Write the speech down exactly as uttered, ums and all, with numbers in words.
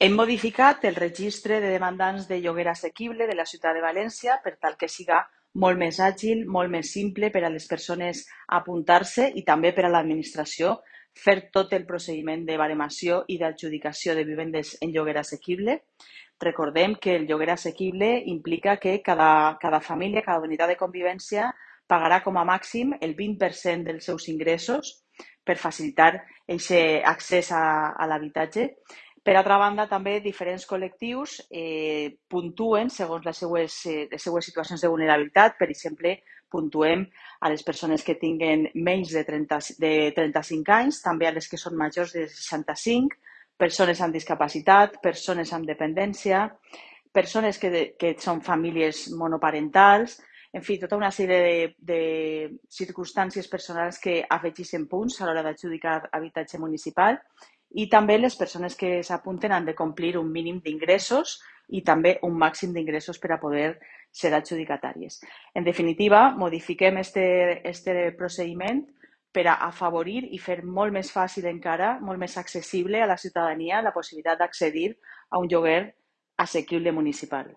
Hem modificat el registre de demandants de lloguer assequible de la ciutat de València per tal que siga molt més àgil, molt més simple per a les persones apuntar-se i també per a l'administració fer tot el procediment de baremació i d'adjudicació de vivendes en lloguer assequible. Recordem que el lloguer assequible implica que cada, cada família, cada unitat de convivència pagarà com a màxim el vint per cent dels seus ingressos per facilitar aquest accés a, a l'habitatge. Per altra banda, també diferents col·lectius eh, puntuen segons les seues, eh, les seues situacions de vulnerabilitat. Per exemple, puntuem a les persones que tinguen menys de, trenta, de trenta-cinc anys, també a les que són majors de seixanta-cinc, persones amb discapacitat, persones amb dependència, persones que, que són famílies monoparentals, en fi, tota una sèrie de, de circumstàncies personals que afegeixen punts a l'hora d'adjudicar habitatge municipal. I també les persones que s'apunten han de complir un mínim d'ingressos i també un màxim d'ingressos per a poder ser adjudicatàries. En definitiva, modifiquem este, este procediment per a afavorir i fer molt més fàcil encara, molt més accessible a la ciutadania la possibilitat d'accedir a un lloguer assequible municipal.